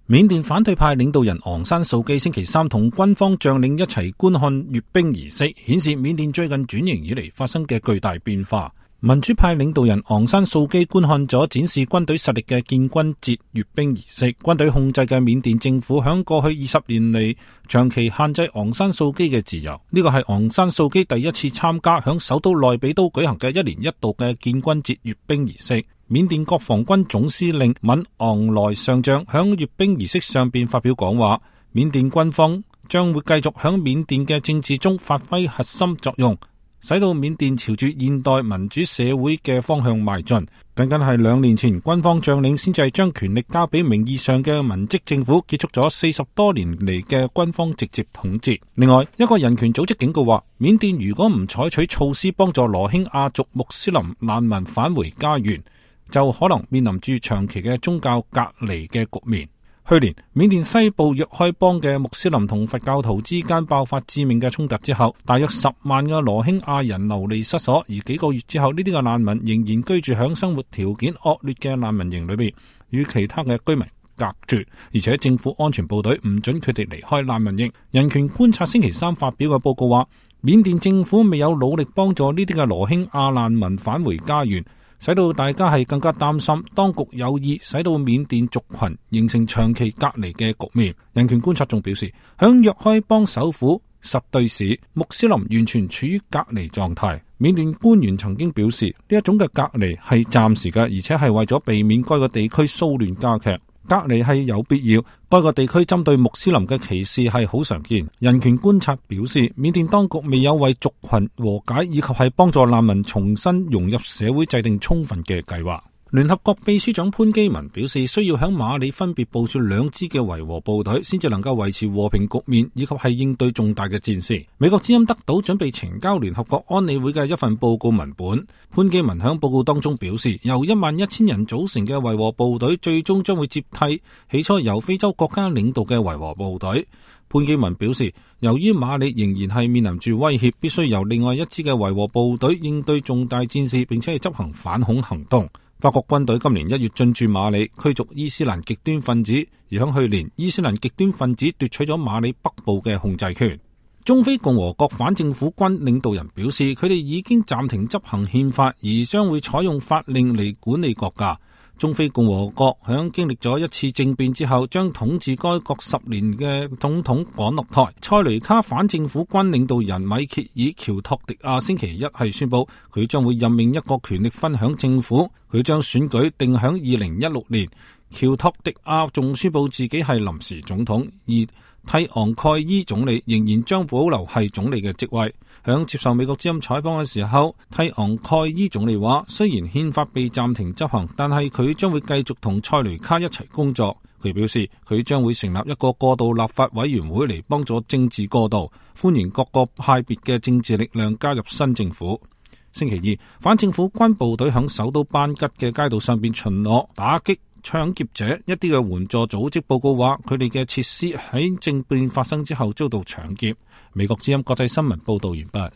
緬甸反對派領導人昂山素基星期三同軍方將領一齊觀看閱兵儀式，顯示緬甸最近轉型以嚟發生嘅巨大變化。民主派領導人昂山素基觀看咗展示軍隊實力嘅建軍節閱兵儀式。軍隊控制嘅緬甸政府響過去20年嚟長期限制昂山素基嘅自由。呢個係昂山素基第一次參加響首都內比都舉行嘅1年1度嘅建軍節閱兵儀式。緬甸國防軍總司令敏昂萊上將響閱兵儀式上邊發表講話，緬甸軍方將會繼續響緬甸嘅政治中發揮核心作用，使到緬甸朝住現代民主社會嘅方向邁進。僅僅係2年前，軍方將領先至將權力交俾名義上嘅文職政府，結束咗40多年嚟嘅軍方直接統治。另外，一個人權組織警告話，緬甸如果唔採取措施幫助羅興亞族穆斯林難民返回家園，就可能面臨住長期嘅宗教隔離嘅局面。去年，緬甸西部若開邦嘅穆斯林同佛教徒之間爆發致命嘅衝突之後，大約10萬嘅羅興亞人流離失所，而幾個月之後，呢啲嘅難民仍然居住響生活條件惡劣嘅難民營裏邊，與其他嘅居民隔絕，而且政府安全部隊唔准佢哋離開難民營。人權觀察星期三發表嘅報告話，緬甸政府未有努力幫助呢啲嘅羅興亞難民返回家園，使到大家係更加擔心，當局有意使到緬甸族群形成長期隔離嘅局面。人權觀察仲表示，響若開邦首府實對市，穆斯林完全處於隔離狀態。緬甸官員曾經表示，呢一種嘅隔離係暫時嘅，而且係為咗避免該個地區騷亂加劇。隔離係有必要，該個地區針對穆斯林嘅歧視係好常見。人權觀察表示，緬甸當局未有為族群和解以及係幫助難民重新融入社會制定充分嘅計劃。聯合國秘書長潘基文表示，需要響馬里分別部署2支嘅維和部隊，先至能夠維持和平局面，以及係應對重大嘅戰事。美國之音得到準備呈交聯合國安理會嘅一份報告文本。潘基文響報告當中表示，由11000人組成嘅維和部隊最終將會接替起初由非洲國家領導嘅維和部隊。潘基文表示，由於馬里仍然係面臨住威脅，必須由另外1支嘅維和部隊應對重大戰事，並且係執行反恐行動。法國軍隊今年1月進駐馬里，驅逐伊斯蘭極端分子，而響去年，伊斯蘭極端分子奪取咗馬里北部嘅控制權。中非共和國反政府軍領導人表示，佢哋已經暫停執行憲法，而將會採用法令嚟管理國家。中非共和國響經歷咗一次政變之後，將統治該國10年嘅總統趕落台。塞雷卡反政府軍領導人米歇爾喬托迪亞星期一係宣布，佢將會任命一個權力分享政府，佢將選舉定響2016年。喬托迪亞仲宣布自己係臨時總統，而蒂昂蓋伊總理仍然將保留係總理嘅職位。響接受美國之音採訪嘅時候，蒂昂蓋伊總理話，雖然憲法被暫停執行，但係佢將會繼續同塞雷卡一齊工作。佢表示，佢將會成立一個過渡立法委員會嚟幫助政治過渡，歡迎各個派別嘅政治力量加入新政府。星期二，反政府軍部隊響首都班吉嘅街道上邊巡邏，打擊搶劫者。一啲嘅援助組織報告話，佢哋嘅設施喺政變發生之後遭到搶劫。美國之音國際新聞報道完畢。